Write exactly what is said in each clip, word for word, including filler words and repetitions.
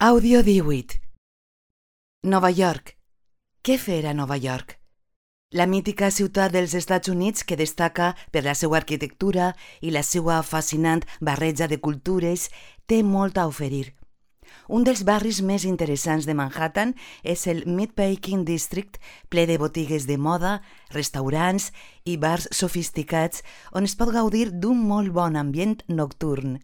Àudio díhuit. Nova York. Què fer a Nova York? La mítica ciutat dels Estats Units que destaca per la seva arquitectura i la seva fascinant barreja de cultures té molt a oferir. Un dels barris més interessants de Manhattan és el Meatpacking District, ple de botigues de moda, restaurants i bars sofisticats on es pot gaudir d'un molt bon ambient nocturn.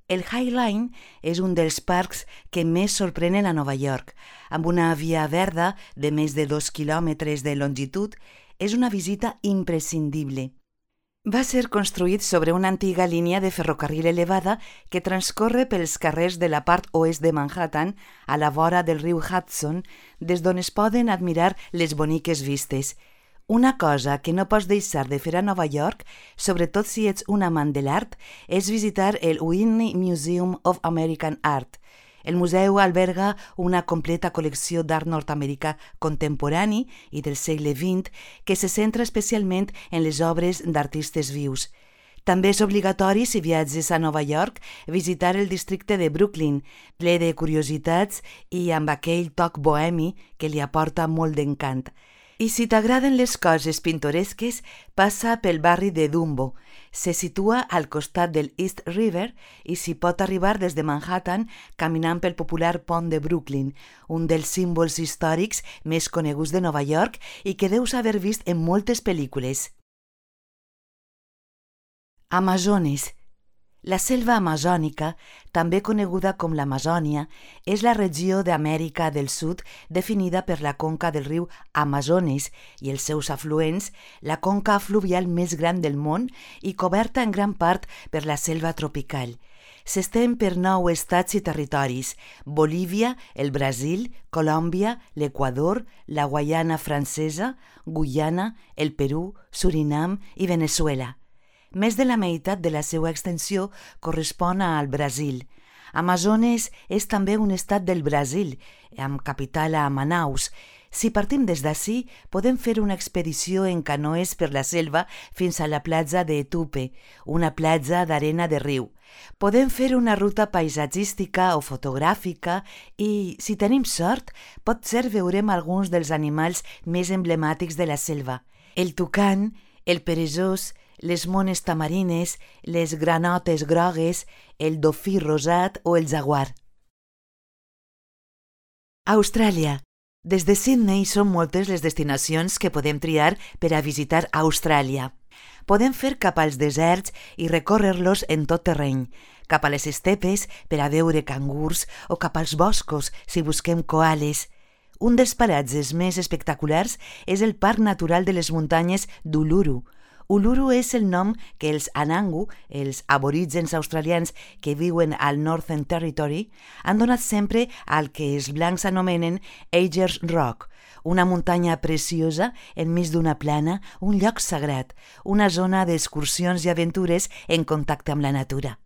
El High Line és un dels parcs que més sorprenen a Nova York. Amb una via verda de més de dos quilòmetres de longitud, és una visita imprescindible. Va ser construït sobre una antiga línia de ferrocarril elevada que transcorre pels carrers de la part oest de Manhattan, a la vora del riu Hudson, des d'on es poden admirar les boniques vistes. Una cosa que no pots deixar de fer a Nova York, sobretot si ets un amant de l'art, és visitar el Whitney Museum of American Art. El museu alberga una completa col·lecció d'art nord-americà contemporani i del segle vint que se centra especialment en les obres d'artistes vius. També és obligatori, si viatges a Nova York, visitar el districte de Brooklyn, ple de curiositats i amb aquell toc bohemi que li aporta molt d'encant. I si t'agraden les coses pintoresques, passa pel barri de Dumbo. Se situa al costat del East River i s'hi pot arribar des de Manhattan caminant pel popular pont de Brooklyn, un dels símbols històrics més coneguts de Nova York i que deus haver vist en moltes pel·lícules. Amazones. La selva amazònica, també coneguda com l'Amazònia, és la regió d'Amèrica del Sud definida per la conca del riu Amazones i els seus afluents, la conca fluvial més gran del món i coberta en gran part per la selva tropical. S'estén per nou estats i territoris: Bolívia, el Brasil, Colòmbia, l'Equador, la Guaiana Francesa, Guyana, el Perú, Surinam i Veneçuela. Més de la meitat de la seva extensió correspon al Brasil. Amazones és també un estat del Brasil, amb capital a Manaus. Si partim des d'ací, podem fer una expedició en canoes per la selva fins a la platja de Tupe, una platja d'arena de riu. Podem fer una ruta paisatgística o fotogràfica i, si tenim sort, potser veurem alguns dels animals més emblemàtics de la selva: el tucán, el peresós, les mones tamarines, les granotes grogues, el dofí rosat o el jaguar. Austràlia. Des de Sydney són moltes les destinacions que podem triar per a visitar Austràlia. Podem fer cap als deserts i recórrer-los en tot terreny, cap a les estepes per a veure cangurs o cap als boscos si busquem koales. Un dels paratges més espectaculars és el Parc Natural de les Muntanyes d'Uluru. Uluru és el nom que els Anangu, els aborígens australians que viuen al Northern Territory, han donat sempre al que els blancs anomenen Ayers Rock, una muntanya preciosa enmig d'una plana, un lloc sagrat, una zona d'excursions i aventures en contacte amb la natura.